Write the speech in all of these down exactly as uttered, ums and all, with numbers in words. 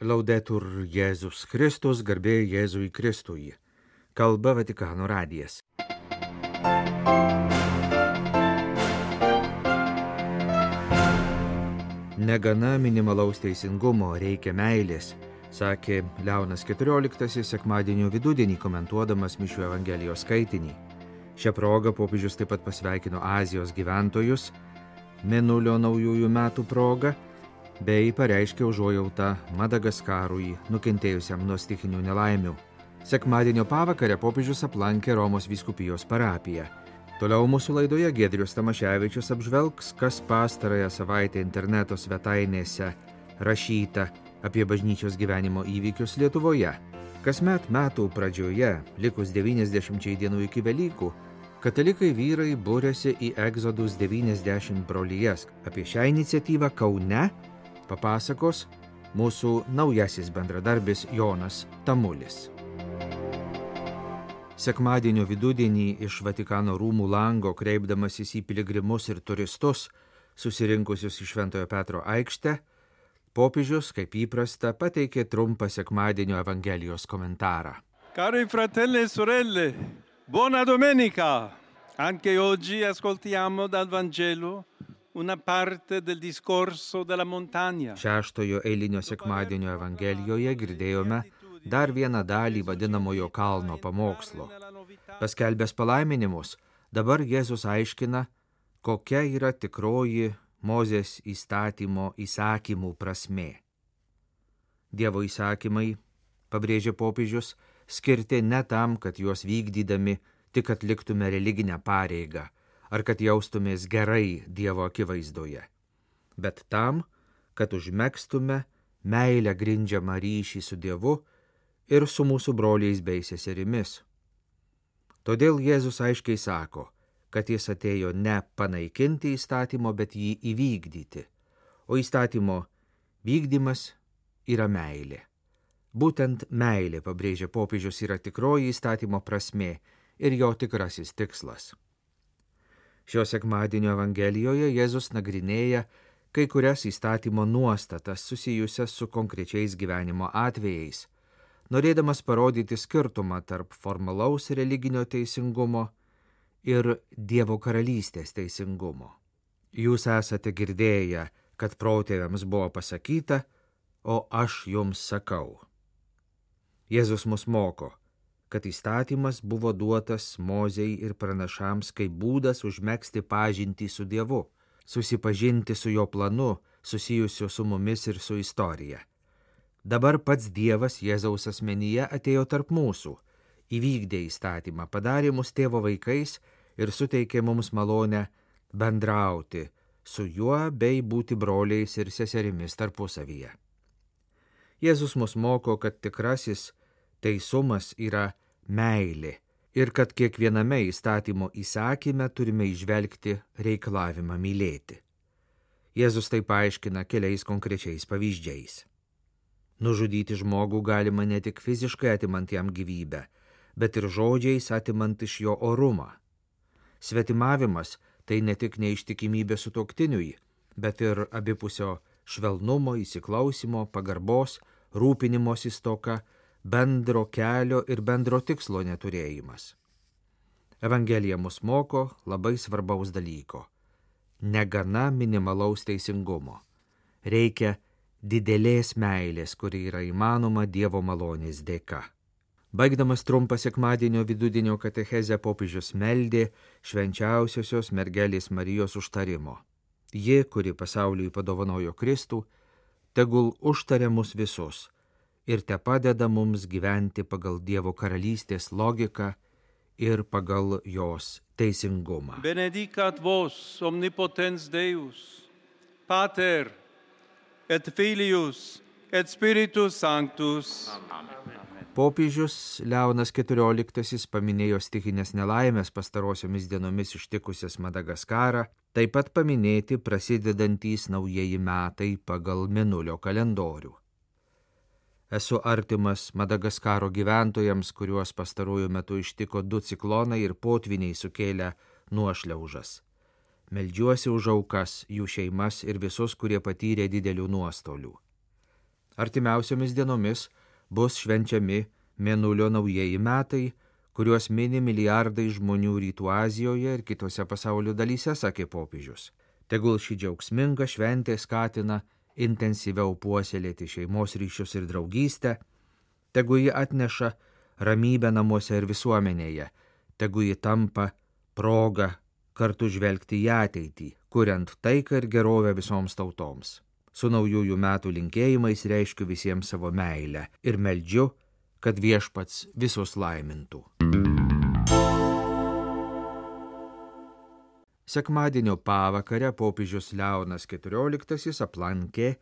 Laudetur Jėzus Kristus, garbė Jėzui Kristui. Kalba Vatikano radijas. Negana minimalaus teisingumo, reikia meilės, sakė Leonas keturioliktasis sekmadienio vidudienį komentuodamas Mišių Evangelijos skaitinį. Šią progą popiežius taip pat pasveikino Azijos gyventojus, Mėnulio naujųjų metų proga, bei pareiškė užuojautą Madagaskarui nukentėjusiam nuo stichinių nelaimių. Sekmadienio pavakarę popiežius aplankė Romos vyskupijos parapiją. Toliau mūsų laidoje Giedrius Tamaševičius apžvelgs, kas pastarąją savaitę interneto svetainėse rašyta apie bažnyčios gyvenimo įvykius Lietuvoje. Kasmet metų pradžioje, likus devyniasdešimčiai dienų iki Velykų, katalikai vyrai būrėsi į Egzodus devyniasdešimt brolijas. Apie šią iniciatyvą Kaune papasakos mūsų naujasis bendradarbis Jonas Tamulis. Sekmadienio vidudienį iš Vatikano rūmų lango, kreipdamasis į piligrimus ir turistus, susirinkusius į Šventojo Petro aikštę, popiežius, kaip įprasta, pateikė trumpą sekmadienio Evangelijos komentarą. Cari fratelli e sorelle, buona domenica! Anche oggi ascoltiamo dal Vangelo una parte del discorso della montagna. Šeštojo eilinio sekmadienio Evangelijoje girdėjome dar vieną dalį vadinamojo kalno pamokslo. Paskelbęs palaiminimus, dabar Jėzus aiškina, kokia yra tikroji Mozės įstatymo įsakymų prasmė. Dievo įsakymai, pabrėžė popiežius, skirti ne tam, kad juos vykdydami tik atliktume religinę pareigą, ar kad jaustumės gerai Dievo akivaizdoje, bet tam, kad užmegztume meilę grindžiamą ryšį su Dievu ir su mūsų broliais bei seserimis. Todėl Jėzus aiškiai sako, kad jis atėjo ne panaikinti įstatymo, bet jį įvykdyti, o įstatymo vykdymas yra meilė. Būtent meilė, pabrėžia popiežius, yra tikroji įstatymo prasmė ir jo tikrasis tikslas. Šio sekmadienio Evangelijoje Jėzus nagrinėja kai kurias įstatymo nuostatas susijusias su konkrečiais gyvenimo atvejais, norėdamas parodyti skirtumą tarp formalaus religinio teisingumo ir Dievo karalystės teisingumo. Jūs esate girdėję, kad protėviams buvo pasakyta, o aš jums sakau. Jėzus mus moko, kad įstatymas buvo duotas Mozei ir pranašams kaip būdas užmegzti pažintį su Dievu, susipažinti su jo planu, susijusiu su mumis ir su istorija. Dabar pats Dievas Jėzaus asmenyje atėjo tarp mūsų, įvykdė įstatymą, padarė mus tėvo vaikais ir suteikė mums malonę bendrauti su juo bei būti broliais ir seserimis tarpusavyje. Jėzus mus moko, kad tikrasis teisumas yra meilė ir kad kiekviename įstatymo įsakyme turime įžvelgti reikalavimą mylėti. Jėzus tai paaiškina keliais konkrečiais pavyzdžiais. Nužudyti žmogų galima ne tik fiziškai atimant jam gyvybę, bet ir žodžiais atimant iš jo orumą. Svetimavimas tai ne tik neištikimybė sutuoktiniui, bet ir abipusio švelnumo, įsiklausimo, pagarbos, rūpinimosi stoka, bendro kelio ir bendro tikslo neturėjimas. Evangelija mus moko labai svarbaus dalyko. Negana minimalaus teisingumo. Reikia didelės meilės, kuri yra įmanoma Dievo malonės dėka. Baigdamas trumpą sekmadienio vidudienio katechezę, popiežius meldė švenčiausiosios mergelės Marijos užtarimo. Ji, kuri pasauliui padovanojo Kristų, tegul užtaria mus visus ir te padeda mums gyventi pagal Dievo karalystės logiką ir pagal jos teisingumą. Benedicat vos omnipotens Deus, Pater et Filius et Spiritus Sanctus. Popiežius Leonas keturioliktasis paminėjo stichinės nelaimės pastarosiomis dienomis ištikusias Madagaskarą, taip pat paminėti prasidedantys naujieji metai pagal Mėnulio kalendorių. Esu artimas Madagaskaro gyventojams, kuriuos pastaruoju metu ištiko du ciklonai ir potviniai sukėlę nuošliaužas. Meldžiuosi už aukas, jų šeimas ir visus, kurie patyrė didelių nuostolių. Artimiausiomis dienomis bus švenčiami Mėnulio naujieji metai, kuriuos mini milijardai žmonių Rytų Azijoje ir kitose pasaulio dalyse, sakė popiežius. Tegul šį džiaugsmingą šventę skatina intensyviau puoselėti šeimos ryšius ir draugystę, tegu ji atneša ramybę namuose ir visuomenėje, tegu ji tampa proga kartu žvelgti į ateitį, kuriant taiką ir gerovę visoms tautoms. Su naujųjų metų linkėjimais reiškiu visiems savo meilę ir meldžiu, kad viešpats visus laimintų. Sekmadienio pavakarę popiežius Leonas keturioliktasis aplankė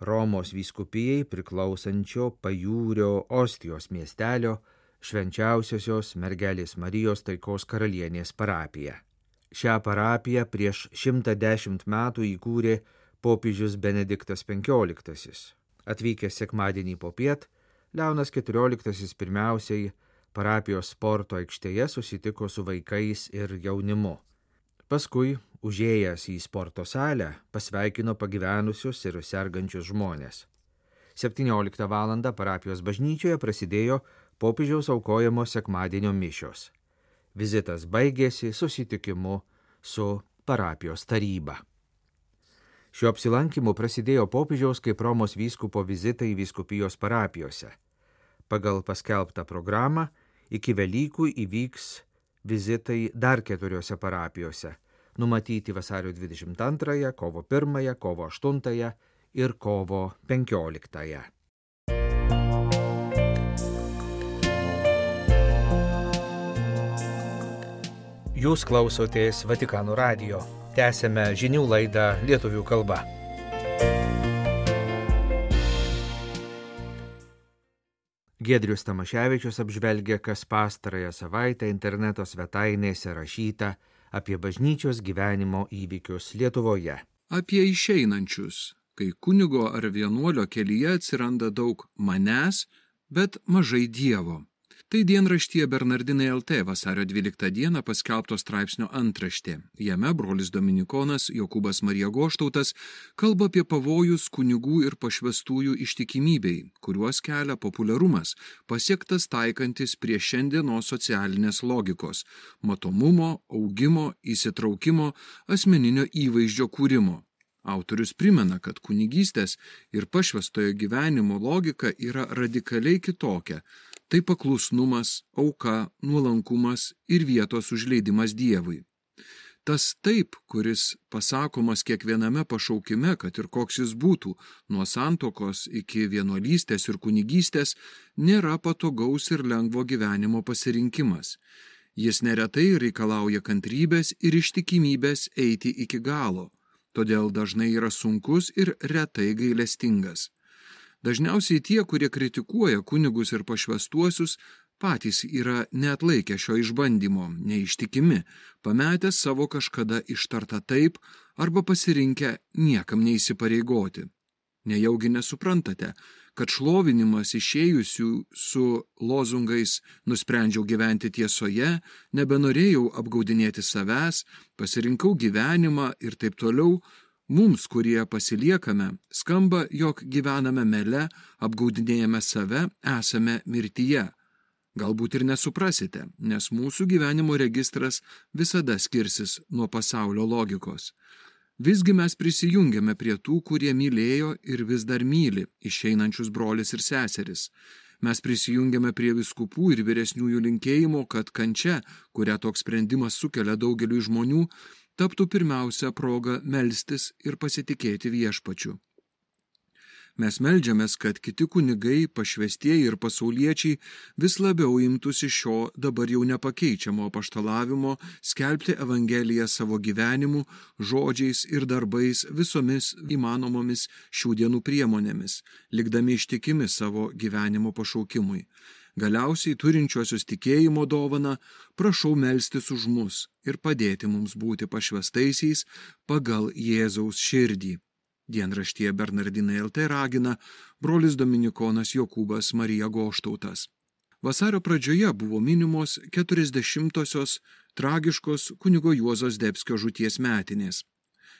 Romos vyskupijai priklausančio Pajūrio Ostijos miestelio Švenčiausiosios Mergelės Marijos Taikos karalienės parapiją. Šią parapiją prieš šimtą dešimt metų įkūrė popiežius Benediktas penkioliktasis. Atvykęs sekmadienį popiet, Leonas keturioliktasis pirmiausiai parapijos sporto aikštėje susitiko su vaikais ir jaunimu. Paskui, užėjęs į sporto salę, pasveikino pagyvenusius ir sergančius žmonės. septynioliktą valandą parapijos bažnyčioje prasidėjo popiežiaus aukojamo sekmadienio mišios. Vizitas baigėsi susitikimu su parapijos taryba. Šiuo apsilankymu prasidėjo popiežiaus kaip Romos vyskupo vizitai vyskupijos parapijose. Pagal paskelbtą programą iki Velykų įvyks vizitai dar keturiose parapijose, numatyti vasario dvidešimt antrąją, kovo pirmąją, kovo aštuntąją ir kovo penkioliktąją. Jūs klausotės Vatikano radijo. Tęsėme žinių laidą lietuvių kalba. Giedrius Tamaševičius apžvelgia, kas pastarąją savaitę interneto svetainėse rašyta apie bažnyčios gyvenimo įvykius Lietuvoje. Apie išeinančius, kai kunigo ar vienuolio kelyje atsiranda daug manęs, bet mažai Dievo. Tai dienraštyje Bernardinai L T vasario dvyliktą dieną paskelbto straipsnio antraštė. Jame brolis dominikonas Jokūbas Marija Goštautas kalba apie pavojus kunigų ir pašvestųjų ištikimybei, kuriuos kelia populiarumas, pasiektas taikantis prie šiandienos socialinės logikos – matomumo, augimo, įsitraukimo, asmeninio įvaizdžio kūrimo. Autorius primena, kad kunigystės ir pašvestojo gyvenimo logika yra radikaliai kitokia. Tai paklusnumas, auka, nuolankumas ir vietos užleidimas Dievui. Tas taip, kuris pasakomas kiekviename pašaukime, kad ir koks jis būtų, nuo santuokos iki vienuolystės ir kunigystės, nėra patogaus ir lengvo gyvenimo pasirinkimas. Jis neretai reikalauja kantrybės ir ištikimybės eiti iki galo, todėl dažnai yra sunkus ir retai gailestingas. Dažniausiai tie, kurie kritikuoja kunigus ir pašvestuosius, patys yra neatlaikę šio išbandymo, neištikimi, pametę savo kažkada ištartą taip arba pasirinkę niekam neįsipareigoti. Nejaugi nesuprantate, kad šlovinimas išėjusių su lozungais nusprendžiau gyventi tiesoje, nebenorėjau apgaudinėti savęs, pasirinkau gyvenimą ir taip toliau, mums, kurie pasiliekame, skamba, jog gyvename mele, apgaudinėjame save, esame mirtyje. Galbūt ir nesuprasite, nes mūsų gyvenimo registras visada skirsis nuo pasaulio logikos. Visgi mes prisijungiame prie tų, kurie mylėjo ir vis dar myli išeinančius brolis ir seseris. Mes prisijungiame prie vyskupų ir vyresniųjų linkėjimo, kad kančia, kurią toks sprendimas sukelia daugeliui žmonių, taptų pirmiausia proga melstis ir pasitikėti viešpačiu. Mes meldžiamės, kad kiti kunigai, pašvestieji ir pasauliečiai vis labiau imtųsi šio dabar jau nepakeičiamo apaštalavimo skelbti Evangeliją savo gyvenimu, žodžiais ir darbais visomis įmanomomis šių dienų priemonėmis, likdami ištikimi savo gyvenimo pašaukimui. Galiausiai turinčiuosius tikėjimo dovaną prašau melstis už mus ir padėti mums būti pašvestaisiais pagal Jėzaus širdį. Dienraštyje Bernardinai L T ragina brolis dominikonas Jokūbas Marija Goštautas. Vasario pradžioje buvo minimos keturiasdešimtosios tragiškos kunigo Juozo Zdebskio žūties metinės.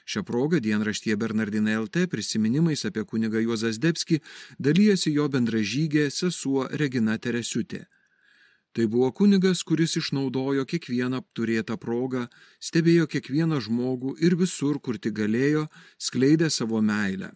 Šią progą dienraštyje Bernardinai L T prisiminimais apie kunigą Juozą Zdebskį dalyjasi jo bendražygė sesuo Regina Teresiutė. Tai buvo kunigas, kuris išnaudojo kiekvieną turėtą progą, stebėjo kiekvieną žmogų ir visur, kur tik galėjo, skleidė savo meilę.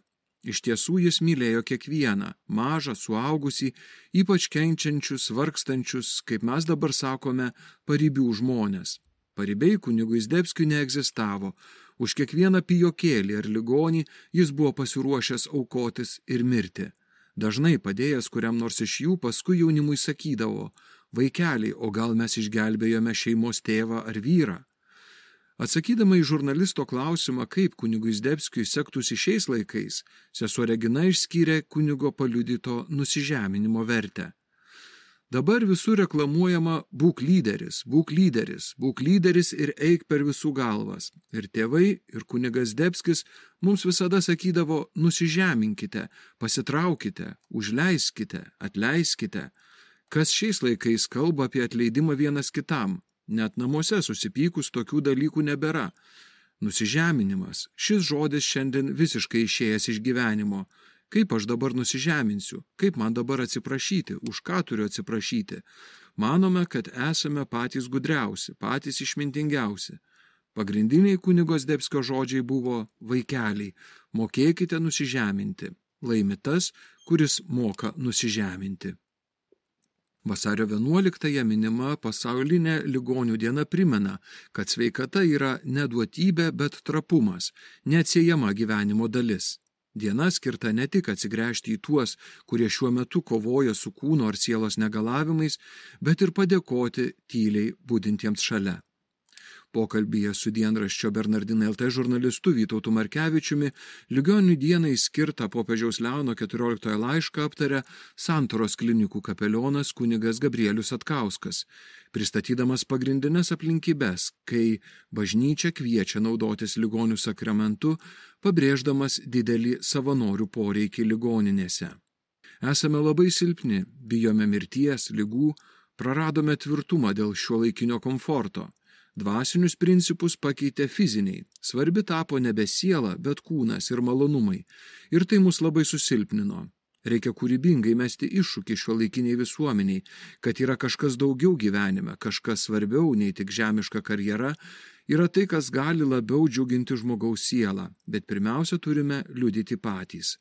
Iš tiesų jis mylėjo kiekvieną, mažą, suaugusį, ypač kenčiančius, vargstančius, kaip mes dabar sakome, paribių žmonės. Paribiai kunigui Zdebskiui neegzistavo. Už kiekvieną pijokėlį ar ligonį jis buvo pasiruošęs aukotis ir mirti. Dažnai padėjęs kuriam nors iš jų, paskui jaunimui sakydavo: vaikeliai, o gal mes išgelbėjome šeimos tėvą ar vyrą? Atsakydama į žurnalisto klausimą, kaip kunigui Zdebskiui sektųsi šiais laikais, sesuo Regina išskyrė kunigo paliudyto nusižeminimo vertę. Dabar visur reklamuojama būk lyderis, būk lyderis, būk lyderis ir eik per visų galvas. Ir tėvai, ir kunigas Zdebskis mums visada sakydavo: nusižeminkite, pasitraukite, užleiskite, atleiskite. Kas šiais laikais kalba apie atleidimą vienas kitam? Net namuose susipykus tokių dalykų nebėra. Nusižeminimas. Šis žodis šiandien visiškai išėjęs iš gyvenimo. Kaip aš dabar nusižeminsiu? Kaip man dabar atsiprašyti? Už ką turiu atsiprašyti? Manome, kad esame patys gudriausi, patys išmintingiausi. Pagrindiniai kunigo Zdebskio žodžiai buvo: vaikeliai, mokėkite nusižeminti. Laimi tas, kuris moka nusižeminti. Vasario vienuoliktąją minima pasaulinė ligonių diena primena, kad sveikata yra ne duotybė, bet trapumas, neatsiejama gyvenimo dalis. Diena skirta ne tik atsigręžti į tuos, kurie šiuo metu kovoja su kūno ar sielos negalavimais, bet ir padėkoti tyliai budintiems šalia. Pokalbyje su dienraščio Bernardinai L T žurnalistu Vytautu Markevičiumi ligonių dienai skirtą popiežiaus Leono keturioliktojo laišką aptarė Santaros klinikų kapelionas kunigas Gabrielius Atkauskas, pristatydamas pagrindines aplinkybes, kai bažnyčia kviečia naudotis ligonių sakramentu, pabrėždamas didelį savanorių poreikį ligoninėse. Esame labai silpni, bijome mirties, ligų, praradome tvirtumą dėl šiuolaikinio komforto. Dvasinius principus pakeitė fiziniai, svarbi tapo nebe siela, bet kūnas ir malonumai, ir tai mus labai susilpnino. Reikia kūrybingai mesti iššūkį šiuolaikiniai visuomeniai, kad yra kažkas daugiau gyvenime, kažkas svarbiau nei tik žemiška karjera, yra tai, kas gali labiau džiuginti žmogaus sielą, bet pirmiausia turime liudyti patys.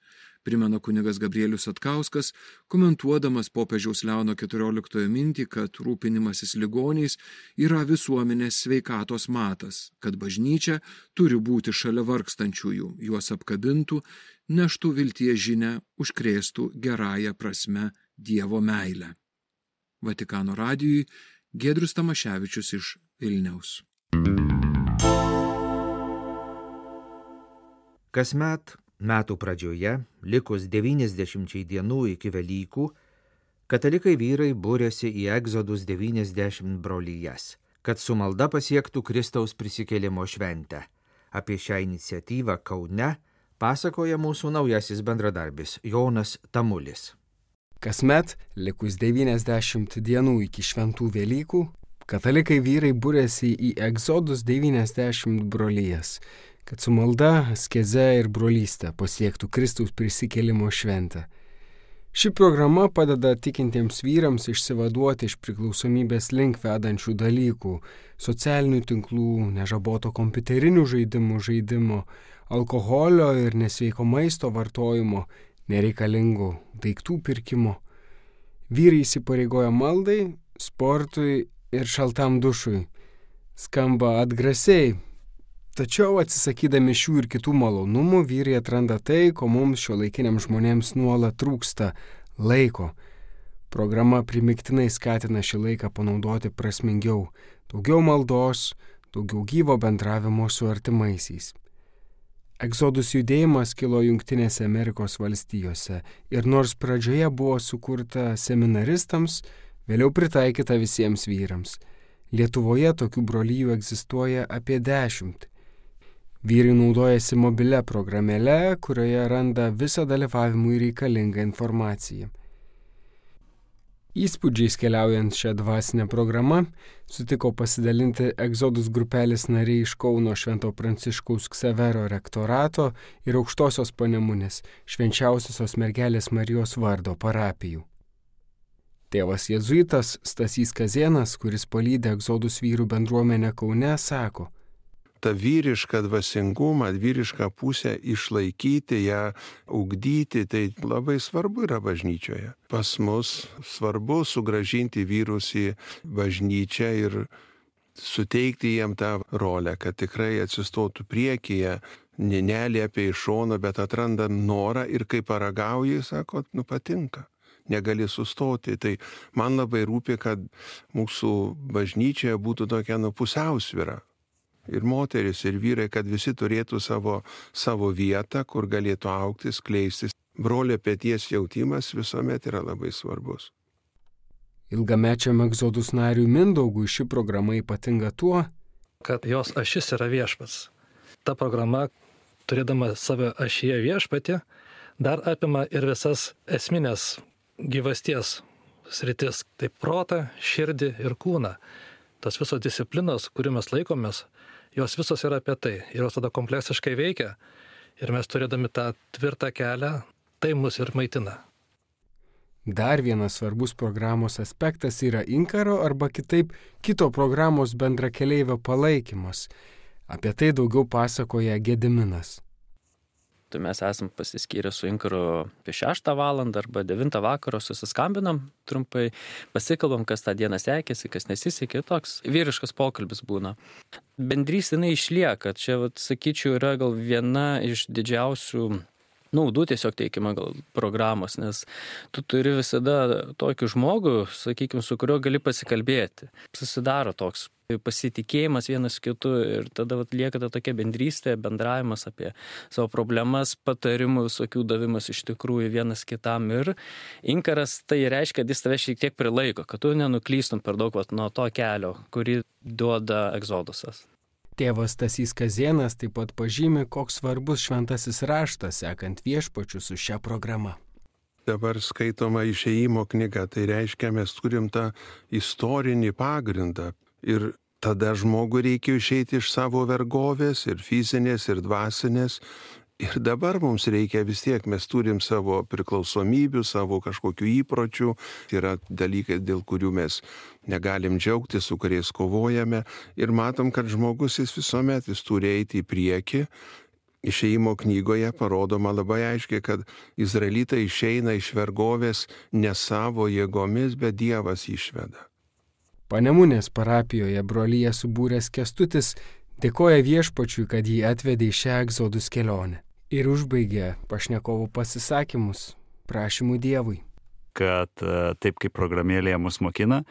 Primena kunigas Gabrielius Atkauskas, komentuodamas popiežiaus Leono keturioliktojo mintį, kad rūpinimasis ligoniais yra visuomenės sveikatos matas, kad bažnyčia turi būti šalia vargstančiųjų, juos apkabintų, neštų vilties žinią, užkrėstų gerąją prasme Dievo meilę. Vatikano radijui Giedrius Tamaševičius iš Vilniaus. Kasmet metų pradžioje, likus devyniasdešimčiai dienų iki Velykų, katalikai vyrai būrėsi į Egzodus devyniasdešimt brolijas, kad su malda pasiektų Kristaus prisikėlimo šventę. Apie šią iniciatyvą Kaune pasakoja mūsų naujasis bendradarbis Jonas Tamulis. Kasmet, likus devyniasdešimt dienų iki šventų Velykų, katalikai vyrai būrėsi į Egzodus devyniasdešimt brolijas, kad su malda, askeze ir brolystė pasiektų Kristaus prisikėlimo šventę. Ši programa padeda tikintiems vyrams išsivaduoti iš priklausomybės link vedančių dalykų, socialinių tinklų, nežaboto kompiuterinių žaidimų žaidimo, alkoholio ir nesveiko maisto vartojimo, nereikalingų daiktų pirkimo. Vyrai įsipareigoja maldai, sportui ir šaltam dušui. Skamba atgrasiai. Tačiau atsisakydami šių ir kitų malonumų, vyrai atranda tai, ko mums šiuolaikiniams žmonėms nuolat trūksta – laiko. Programa primygtinai skatina šį laiką panaudoti prasmingiau, daugiau maldos, daugiau gyvo bendravimo su artimaisiais. Egzodus judėjimas kilo Jungtinėse Amerikos valstijose ir nors pradžioje buvo sukurta seminaristams, vėliau pritaikyta visiems vyrams. Lietuvoje tokių brolijų egzistuoja apie dešimt. Vyrai naudojasi mobilia programėle, kurioje randa visą dalyvavimui reikalingą informaciją. Įspūdžiais keliaujant šią dvasinę programą sutiko pasidalinti Egzodus grupelės nariai iš Kauno Švento Pranciškaus Ksavero rektorato ir Aukštosios Panemunės Švenčiausiosios mergelės Marijos vardo parapijų. Tėvas jėzuitas Stasys Kazėnas, kuris palydi Egzodus vyrų bendruomenę Kaune, sako: tą vyrišką dvasingumą, vyrišką pusę išlaikyti, ją ugdyti, tai labai svarbu yra bažnyčioje. Pas mus svarbu sugrąžinti vyrus į bažnyčią ir suteikti jiem tą rolę, kad tikrai atsistotų priekyje, neliepia iš šono, bet atranda norą ir kai paragauji, sako, nu patinka. Negali sustoti. Tai man labai rūpi, kad mūsų bažnyčioje būtų tokia nu pusiausvyra. Ir moteris, ir vyrai, kad visi turėtų savo, savo vietą, kur galėtų augti, skleistis. Brolio peties jautimas visuomet yra labai svarbus. Ilgamečiam Egzodus nariui Mindaugui ši programa ypatinga tuo, kad jos ašis yra viešpats. Ta programa, turėdama savo ašyje viešpatį, dar apima ir visas esminės gyvasties sritis, tai protą, širdį ir kūną. Tos visos disciplinos, kurių mes laikomės, jos visos yra apie tai. Ir jos tada kompleksiškai veikia. Ir mes turėdami tą tvirtą kelią, tai mus ir maitina. Dar vienas svarbus programos aspektas yra inkaro arba kitaip kito programos bendrakeleivio palaikymas. Apie tai daugiau pasakoja Gediminas. Tai mes esam pasiskyrę su inkaru apie šeštą valandą arba devintą vakaro, susiskambinam trumpai, pasikalbam, kas tą dieną sekėsi, kas nesisekė, toks vyriškas pokalbis būna. Bendrystė jinai išlieka, čia, vat, sakyčiau, yra gal viena iš didžiausių naudų tiesiog teikima gal programos, nes tu turi visada tokį žmogų, sakykime, su kuriuo gali pasikalbėti. Susidaro toks pasitikėjimas vienas kitu ir tada vat, lieka ta tokia bendrystė, bendravimas apie savo problemas, patarimų visokių davimas iš tikrųjų vienas kitam. Ir inkaras tai reiškia, kad jis tave šiek tiek prilaiko, kad tu nenuklystum per daug vat, nuo to kelio, kurį duoda Egzodusas. Tėvas Stasys Kazėnas taip pat pažymi, koks svarbus šventasis raštas, sekant viešpačiu su šia programa. Dabar skaitoma išėjimo knyga, tai reiškia, mes turim tą istorinį pagrindą. Ir tada žmogui reikia išeiti iš savo vergovės, ir fizinės, ir dvasinės. Ir dabar mums reikia vis tiek, mes turim savo priklausomybių, savo kažkokių įpročių. Yra dalykai, dėl kurių mes negalim džiaugtis, su kuriais kovojame. Ir matom, kad žmogus jis visuomet jis turi eiti į priekį. Išėjimo knygoje parodoma labai aiškiai, kad izraelitai išeina iš vergovės ne savo jėgomis, bet Dievas išveda. Panemunės parapijoje brolyje subūręs Kęstutis dėkoja viešpačiui, kad jį atvedė į šią Egzodus kelionę. Ir užbaigė pašnekovų pasisakymus prašymų Dievui. Kad taip kaip programėlėje mus mokina,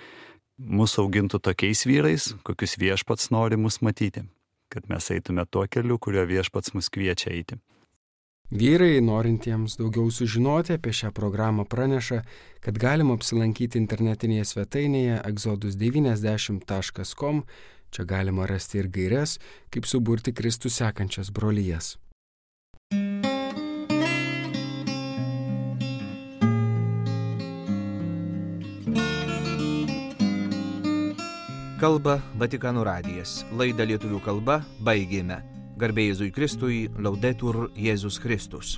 mus augintų tokiais vyrais, kokius viešpats nori mus matyti. Kad mes eitume tuo keliu, kurio viešpats mus kviečia eiti. Vyrai, norintiems daugiau sužinoti apie šią programą, praneša, kad galima apsilankyti internetinėje svetainėje egzodus devyniasdešimt taškas com. Čia galima rasti ir gaires, kaip suburti Kristų sekančias brolyjas. Kalba Vatikano radijas. Laidą lietuvių kalba baigėme. Garbė Jėzui Kristui, Laudetur Jėzus Kristus.